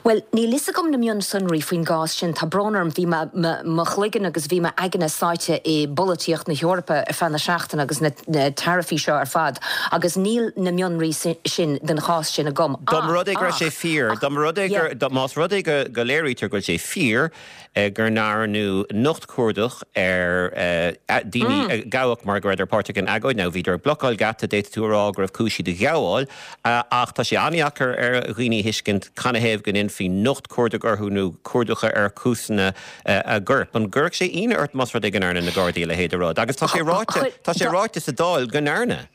Bhuel, níl fhios agam na mionsonraí faoin gcás sin, tá brón orm, bhí mo chloigeann agus bhí m'aigne sáite i bpolaitíocht na hEorpa ar feadh na seachtaine agus na taraifí seo ar fad agus níl na mionraí sin den chás sin agam. Dá mba rud é go raibh sé fíor, dá mba rud é gur, más rud é go léirítear go bhfuil sé fíor, go ndearnadh nocht cuardach ar daoine a gabhadh mar go rabhadar páirteach in agóid. Now bhíodar ag blocáil geata, d'fhéadfadh tú a rá go raibh cúis iad a ghabháil, ach tá sé an-dheacair ar dhaoine a thuiscint canathaobh go ndéanfaí nocht cuardaigh orthu nó cuardach ar chuasanna a gcoirp. An gcuirfeadh sé ionadh ort más rud é go ndearna na Gardaí a leithéid de rud? Agus tá sé ráite, tá sé ráite sa Dáil go ndearna.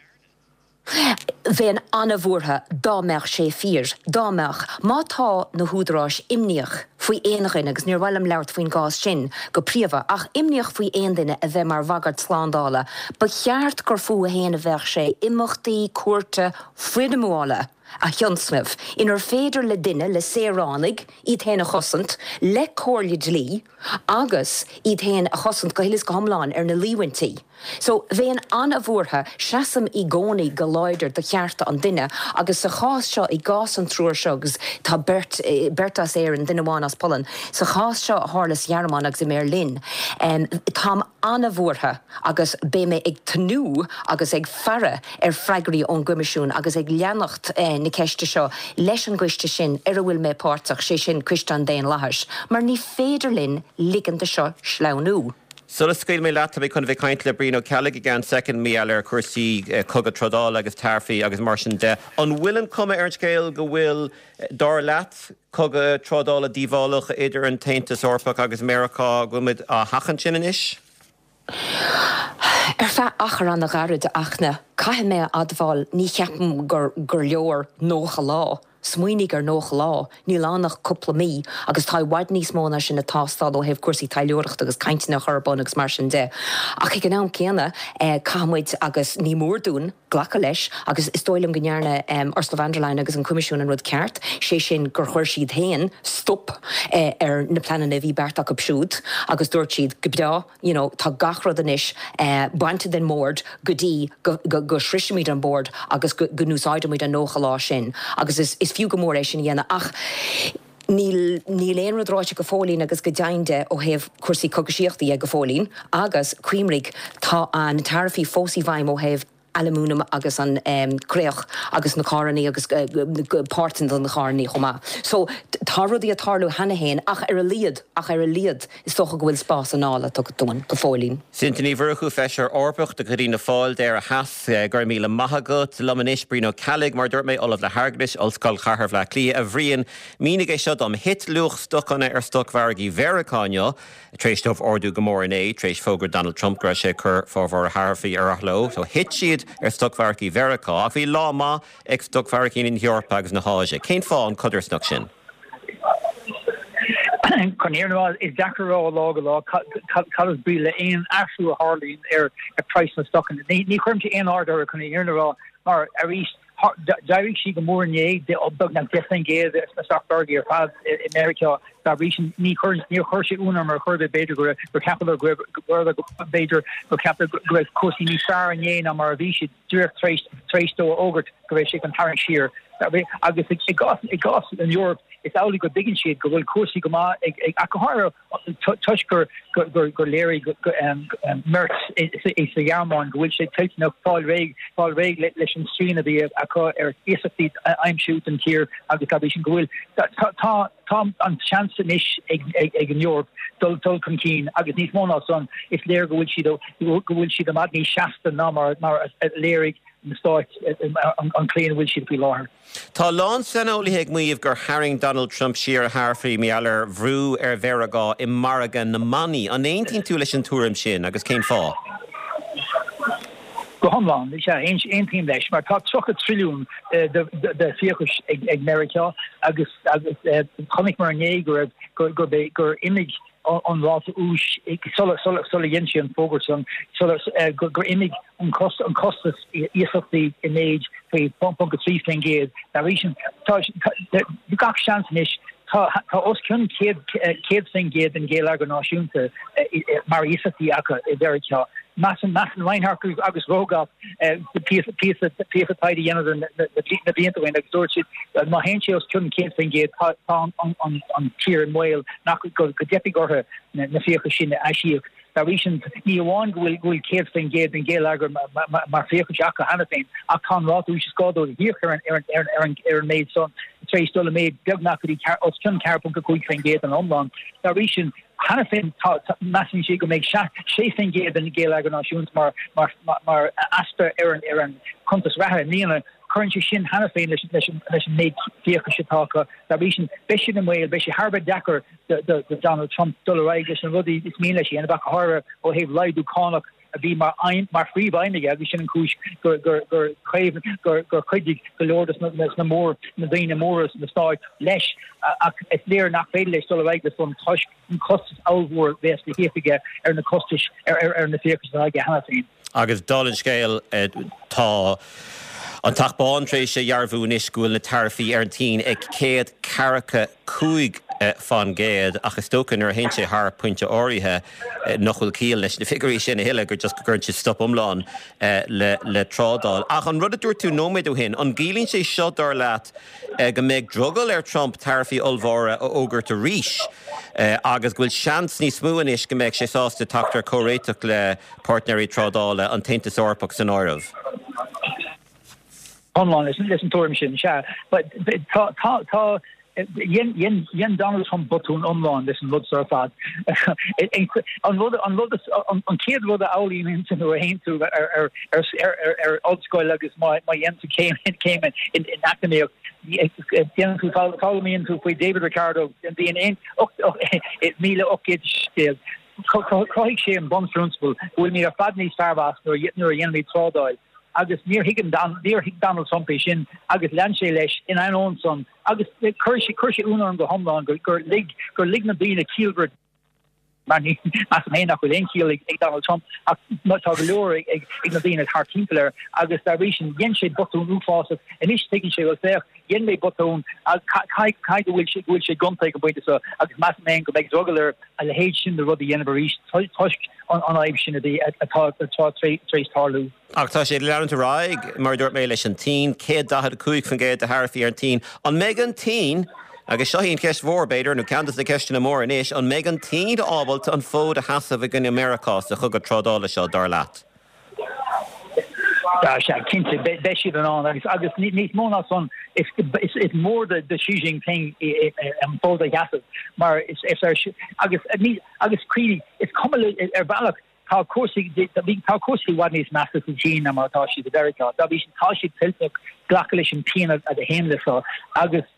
Bheinn an-bhuartha dá mbeadh sé fíor. Dá mbeadh. Má tá na húdaráis imníoch faoi aon dhuine, agus níor mhaith liom labhairt faoin gcás sin go príomha, ach imníoch faoi aon duine a bheith mar bhagairt slándála, ba cheart gur fúthu féin a bheadh sé imeachtaí cúirte foirmiúla a thionscnamh inar féidir le duine, le saoránaigh, iad féin a chosaint le comhairle dlí agus iad féin a chosaint go huile is go hiomlán ar na líomhaintí. So, bheinn an-bhuartha, seasaim i gcónaí go láidir do chearta an duine agus sa chás seo, i gcás an triúr seo, agus tá beirt, beirt as Éirinn, duine amháin as Polainn, sa chás seo a tharla sa Ghearmáin agus i mBeirlín, táim an-bhuartha agus beidh mé ag tnúth agus ag faire ar freagraí ón gCoimisiún agus ag leanacht na ceiste seo leis an gcoiste sin ar a bhfuil mé páirteach, sé sin Coiste an Daonlathais, mar ní féidir linn ligean do seo sleamhnú. Sula scaoilfidh mé leat, tá mé chun a bheith ag caint le Brian Ó Ceallaigh i gceann soicind, mar gheall ar chúrsaí cogadh trádála agus taraifí agus mar sin de. An bhfuil an cuma ar an scéal go bhfuil, dar leat, cogadh trádála díobhálach idir an tAontas Eorpach agus Meiriceá, go bhfuil muid á sheachaint sin anois? Ar feadh achar an-ghairid, a Fhachtna, caithfidh mé a admháil, ní cheapaim gur leor 90 lá. Smaoinigh ar 90 lá, níl ann ach cúpla mí, agus tá i bhfad níos mó ná sin ag teastáil ó thaobh cúrsaí taidhleoireachta agus cainteanna a chur ar bun agus mar sin de. Ach ag an am céanna, caithfidh muid, agus ní mór dúinn, glacadh leis, agus is dóigh liom go ndearna Ursula von der Leyen agus an Coimisiún an rud ceart, sé sin gur chuir siad féin stop ar na pleananna a bhí beartaithe acu siúd agus dúirt siad, go breá, you know tá gach rud anois bainte den mbord go dtí go go sroisfimid an bord agus go go n-úsáidfimid an 90 lá sin agus is is fiú go mór é sin a dhéanamh ach níl níl aon rud ráite go fóillín agus go deimhin de ó thaobh cúrsaí cogaisíochta dhe go fóillín agus cuimhnigh tá na taraifí fós i bhfeidhm ó thaobh aluminium agus an créach agus na carrannaí agus páirteanna do na carrannaí chomh maith. So tá rudaí ag tarlú cheana féin ach ar a laghad, ach ar a laghad is dócha go bhfuil spás anála tugtha dúinn go fóillín. Sinéad Ní Mhurchú, Feisire Eorpach de chuid Fhianna Fáil d'Éire Theas, go raibh míle maith agat. Liom anois, Brian Ó Ceallaigh, mar a dúirt mé, Ollamh le hAirgeadas, Ollscoil Chathair Bhaile Átha Cliath. A Bhriain, mínigh é seo dom. Thit luach stocanna ar stocmhargaí Mheiriceá inniu. Tar éis dóibh ardú go mór inné, tar éis fógra Donald Trump go raibh sé ag cur formhór a tharaifí ar athló, so thit siad ar stocmhargaí Mheiriceá, ach bhí lá maith ag stocmhargaí na hEorpa agus na hÁise. Cén fáth an chodarsnacht sin? Chun an fhírinne a rá, is deacair a rá ó lá go lá cad is brí le aon athrú a tharlaíonn ar phraghas na stocanna. Ní chuirimse aon aird orthu chun an fhírinne a rá mar arís, D'éirigh sí go mór inné, beagnach 10% sna stocmhargaí ar fad i Meiriceá. Dá bhrí sin, ní chuir, níor chuir sé ionadh orm ar chor ar bith, b'fhéidir go raibh, gur cheapadar go raibh, b'fhéidir gur cheapadar go raibh cúrsaí níos fearr inné ná mar a bhí siad díreach tar éis, tar éis dó a fhógairt go raibh sé chun tarraingt siar. Agus i gcás, i gcás an Eoraip, is amhlaidh go dtuigeann siad go bhfuil cúrsaí go maith ag, ag, ach go háirithe toisc gur léirigh Merz sa Ghearmáin go bhfuil sé toilteanach fáil réidh fáil réidh leis an srian a bhí acu ar iasachtaí a aimsiú don tír agus dá bhrí sin go bhfuil tá tá an seans anois ag an Eoraip dul dul chun cinn agus níos mó ná san is léir go bhfuil siad go bhfuil siad i bhfad níos seasta ná mar mar a léirigh na Stáit an chaoi ina bhfuil siad faoi láthair. Tá a lán saineolaithe ag maíomh gur tharraing Donald Trump siar a tharaifí mar gheall ar bhrú ar Mheiriceá i margadh na mbannaí. An aontaíonn tú leis an tuairim sin agus cén fáth? Go hiomlán, is ea, aontaím leis, mar tá 30 trilliún de fiachais ag Meiriceá agus chonaiceamar inné go raibh, gur imigh an ráta úis sula dhein sé an fógairt san, gur imigh an costas iasachtaí i méid faoi 0.3%. Dá bhrí sin, tá gach seans anois, tá os cionn 100% den gheilleagar náisiúnta mar iasachtaí acu i Mheiriceá. Measann Reinhart agus Rogoff píosa píosa taighde a dheineadar na blianta ó shin agus dúirt siad má théann sé os cionn 100% tá an tír i mbaol nach go dteipfidh orthu na fiacha sin a aisíoc. Dá bhrí sin, ní amháin go bhfuil 100% den gheilleagar mar fiachas acu cheana féin, ach tá an ráta úis is gá dóibh a híoc ar an méid san tar éis dul i méid beagnach go dtí os cionn 4.5% den iomlán. Dá bhrí sin, cheana féin, measann siad go mbeidh 6% den gheilleagar náisiúnta mar easpa ar an cuntas reatha i mbliana. Cuireann sé sin cheana féin leis an méid fiachais atá acu. Dá bhrí sin, beidh siad i mbaol, beidh sé thar a bheith deacair do Donald Trump dul ar aghaidh leis na rudaí is mian leis a dhéanamh, ach go háirithe ó thaobh laghdú cánach a bhí mar aidhm, mar phríomh-aidhm aige agus sin an chúis gur gur gur gur gur chuidigh go leor de na mór na daoine móra sna Stáit leis ach is léir nach féidir leis dul ar aghaidh leis san toisc an costas ollmhór a bheas le híoc aige ar na costais ar ar ar na fiachais atá aige cheana féin. Agus dála an scéil, tá an Teach Bán tar éis a dhearbhú anois go bhfuil na taraifí ar an tSín ag 145 fán gcéad, ach is dócha nuair a théann sé thar pointe áirithe nach bhfuil ciall leis na figiúirí sin a thuilleadh, gur just go gcuireann siad stop iomlán le trádáil. Ach an rud a dúirt tú nóiméad ó shin, an gciallaíonn sé seo, dar leat, go mbeidh drogall ar Trump taraifí ollmhóra a fhógairt arís agus go bhfuil seans níos mó anois go mbeidh sé sásta teacht ar chomhréiteach le páirtnéirí trádála, an tAontas Eorpach san áireamh. Iomlán leis an tuairim sin, sea. Tá, tá, tá, dhein, dhein Donald Trump botún iomlán leis an rud seo ar fad. An rud, an rud, an chéad rud a fhoghlaimíonn tú nuair a théann tú ar, ar, ar, ar, ar ollscoil agus má, má dhéanann tú céim, céim in, in eacnamaíocht, déanann tú, foghlaimíonn tú faoi David Ricardo, an bhliain 1817. Chruthaigh sé an bunphrionsabal go bhfuilimid ar fad níos fearr as nuair a dhéanaimid trádáil agus níor thuig níor thuig Donald Trump é sin agus lean sé leis in ainneoin san agus chuir sé chuir sé ionadh orm go hiomlán gur lig gur lig na daoine ciallmhara mar ní measaim féin nach bhfuil aon chiall ag Donald Trump ach tá go leor ag ag na daoine thart timpeall air agus dá bhrí sin dhein sé botún uafásach anois tuigeann sé bhuel féach dhein mé botún caithfidh go bhfuil sé go bhfuil sé gonta ag an bpointe seo agus measaim féin go mbeidh drogall air a leithéid sin de rud a dhéanamh arís toisc an fhadhb sin a bhí, atá tar éis tarlú. Ach tá sé ag leanúint ar aghaidh, mar a dúirt mé, leis an tSín, 145% de tharaifí ar an tSín. An mbeidh an tSín, agus seo í an cheist mhór, b'fhéidir, nó ceann de na ceisteanna móra anois, an mbeidh an tSín ábalta an fód a sheasamh i gcoinne Meiriceá sa chogadh trádála seo, dar leat? Sea, cinnte, beidh siad in ann agus agus níos mó ná san, is is mór do Xi Jinping an fód a sheasamh mar is is ar agus ní agus cuimhnigh, is cuma le ar bhealach tá cúrsaí tá cúrsaí i bhfad níos measa sa tSín ná mar atá siad i Mheiriceá. Dá bhrí sin tá siad toilteanach glacadh leis an pian a théann le seo agus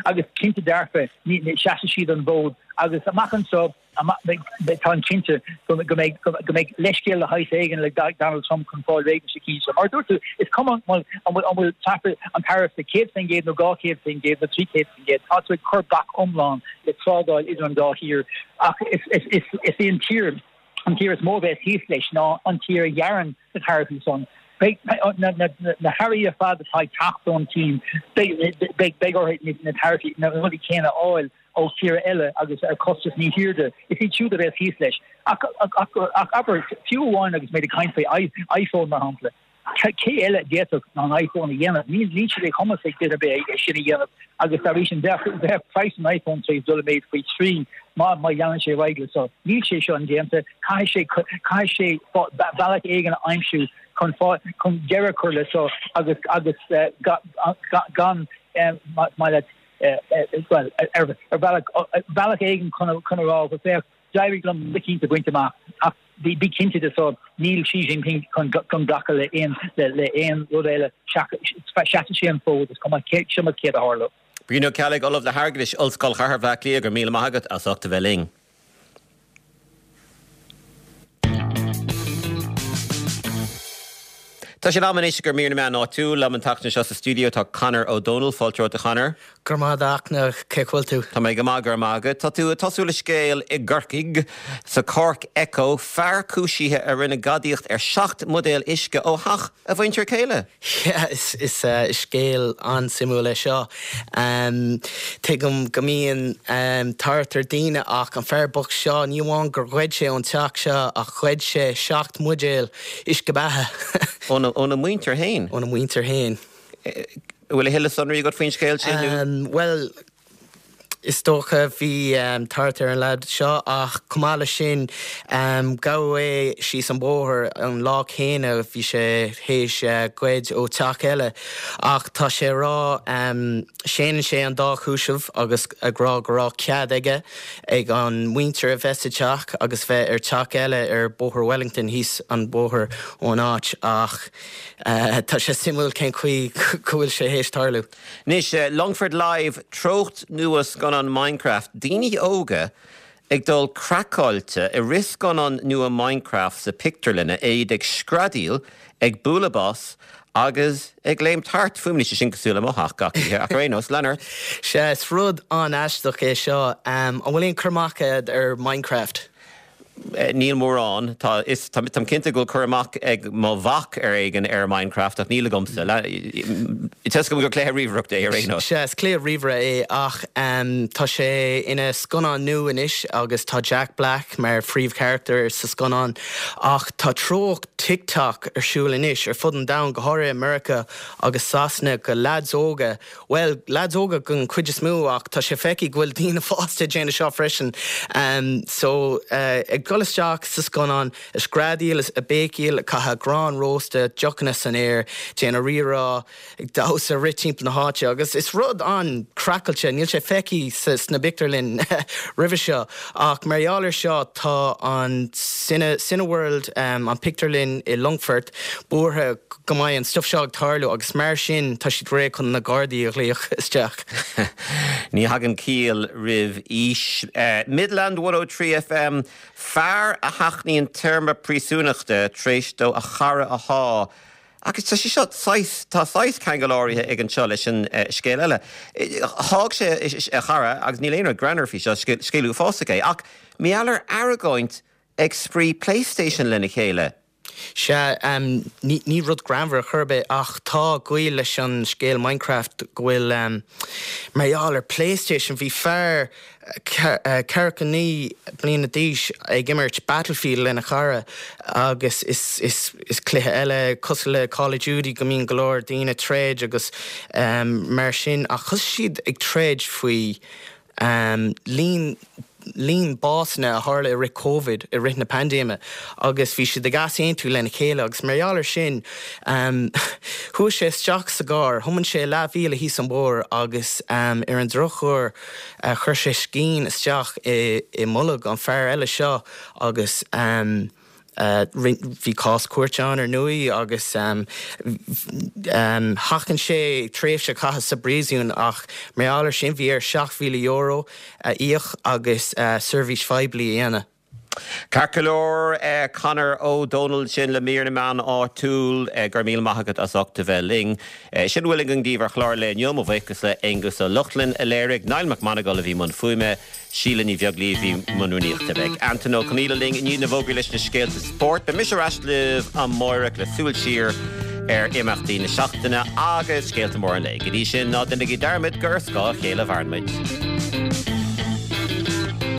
agus cinnte dearfa ní seasfaidh siad an fód agus amach anseo Táim cinnte go mbeidh go mbeidh leithscéal de shaghas éigin le Donald Trump chun fáil réidh leis na cinn seo. Mar a dúirt tú, is cuma an bhfuil an bhfuil an taraif 100% nó 200% nó 300%, tá tú ag cur bac iomlán le trádáil idir an dá thír. Ach is is í an tír an tír is mó a bheas thíos leis ná an tír a ghearrann na taraifí san. Beidh na hearraí ar fad atá ag teacht ón tSín, beidh orthu na taraifí, na rudaí céanna a fháil. ó thíortha eile agus ar chostas níos airde, is iad siúd a bheas thíos leis. Ach, ach abair, fiú amháin agus muid ag caint faoi iPhone, mar shampla, cé eile a d'fhéadfadh an iPhone a dhéanamh? Níl, níl sé de chumas ag duine ar bith é sin a dhéanamh agus dá bhrí sin bheadh, bheadh praghas an iPhone tar éis dul i méid faoi thrí má, má leanann sé ar aghaidh le seo. Níl sé seo indéanta, caithfidh sé, caithfidh sé bealach éigin a aimsiú chun, chun deireadh a chur le seo agus, agus gan, maith leat, bhuel, ar bhealach, bealach éigin chun a rá go féach, d'éirigh liom rud eicínt a bhaint amach ach bí cinnte de seo, níl Xi Jinping chun glacadh le aon le aon rud eile seasfaidh sé an fód, is cuma cuma céard a tharlódh. Brian Ó Ceallaigh, Ollamh le hAirgeadas, Ollscoil Chathair Bhaile Átha Cliath, go raibh míle maith agat as ucht a bheith linn. Tá sé in am anois do mhír na meán áitiúil. Liom an tseachtain seo sa stiúideo tá Conor Ó Dónaill. Fáilte romhat a Chonor. Go raibh maith agat a Fhachtna, cén chaoi a bhfuil tú? Tá mé go maith, go raibh maith agat. Tá tú ag tosú le scéal i gCorcaigh, sa Cork Echo, fear cúisithe a rinne gadaíocht ar 7 mbuidéal uisce ó theach a mhuintir céile. Yeah, is scéal an-suimiúil é seo. Tuigim go mbíonn tart ar daoine ach an fear bocht seo, ní amháin gur ghoid sé ón teach seo ach ghoid sé 7 mbuidéal uisce beatha. Óna mhuintir féin? Óna mhuintir féin. An bhfuil a thuilleadh sonraí agat faoin scéal sin nó? Bhuel, is dócha, bhí tart ar an leaid seo ach chomh maith leis sin, gabhadh é síos an bóthar an lá céanna, bhí sé théis goid ó teach eile. Ach tá sé ag rá, séanann sé an dá chúiseamh agus ag rá go raibh cead aige ag an muintir a bheith sa teach agus bheith ar teach eile ar Bóthar Wellington thíos an bóthar ón áit ach Tá sé suimiúil cén chaoi go bhfuil sé théis tarlú. Anois, Longfort Live, treocht nua scannán Minecraft, daoine óga ag dul craiceáilte i rith scannán nua Minecraft sa pictiúrlann, iad ag screadaíl, ag bualadh bos agus ag léimt thart. Fuaimníonn sé sin cosúil le mo theach gach oíche, ach ar aon nós, lean ort. Sea, is rud an-aisteach é seo. An bhfuil aon cur amach agat ar Minecraft? Níl mórán. Tá is táim cinnte go bhfuil cur amach ag mo mhac ar éigin ar Minecraft ach níl agamsa. Tá fhios agam gur cluiche ríomhaireachta é ar aon nós. Sea, is cluiche ríomhaire é ach tá sé ina scannán nua anois agus tá Jack Black mar phríomhcharachtar sa scannán ach tá treocht TikTok ar siúl anois ar fud an domhain, go háirithe i Meiriceá agus Sasana, go leaids óga Bhuel, leaids óga den chuid is mó ach tá sé feicthe go bhfuil daoine fásta ag déanamh seo freisin. So, ag dul isteach sa scannán, ag screadaíl, ag béicíl, ag caitheamh grán rósta, deochanna san aer, déanamh rírá, ag damhsa, rith timpeall na háite agus is rud an-craiceáilte, níl sé feicthe sna pictiúrlann roimhe seo ach mar gheall ar seo tá an Cineworld, an pictiúrlann i Longfort, buartha go mbeidh an stuif seo ag tarlú agus mar sin tá siad réidh chun na Gardaí a ghlaoch isteach. Ní thagann ciall roimh aois. Midland 103 FM, Fear a sheachnaíonn téarma príosúnachta tar éis dó a chara a shá agus tá sé seo saghas, tá saghas ceangal áirithe ag anseo leis an scéal eile. Sháigh sé a chara agus níl aon rud greannmhar faoi seo, scéal uafásach é, ach mar gheall ar argóint ag spraoi PlayStation lena chéile. Sea, ní rud greannmhar ar chor ar bith, ach tá gaol leis an scéal Minecraft go bhfuil, mar gheall ar PlayStation, bhí fear 49 bliana d'aois ag imirt Battlefield lena chara agus is cluiche eile cosúil le Call of Duty go mbíonn go leor daoine ag troid agus mar sin ach thosaigh siad ag troid faoi líon líon básanna a tharla i rith Covid, i rith na paindéime, agus bhí siad ag easaontú lena chéile agus mar gheall air sin chuaigh sé isteach sa gcarr, thiomáin sé leathmhíle thíos an bóthar agus ar an drochuair chuir sé scian isteach i mbolg an fear eile seo agus Bhí cás cúirte ann ar ndóigh agus sheachain sé tréimhse a chaitheamh sa bpríosún ach mar gheall air sin bhí air €7,000 a íoc agus seirbhís phoiblí a dhéanamh. Ceart go leor, Conor Ó Dónaill sin le mír na meán áitiúil. Go raibh míle maith agat as ucht a bheith linn. Sin a bhfuil againn daoibh ar chlár an lae inniu. Mo bhuíochas le Aonghus Ó Lochlainn a léirigh, Niall Mac Monagail a bhí i mbun fuaime, Síle Ní Bheaglaoí a bhí i mbun rúnaíochta. Beidh Antain Ó Conghaile linn i ndiaidh na bhfógraí leis na scéalta spóirt. Beidh mise ar ais libh amáireach le súil siar ar imeachtaí na seachtaine agus scéalta móra an lae. Go dtí sin, ná déanaigí dearmad gur ar scáth a chéile a mhaireann muid.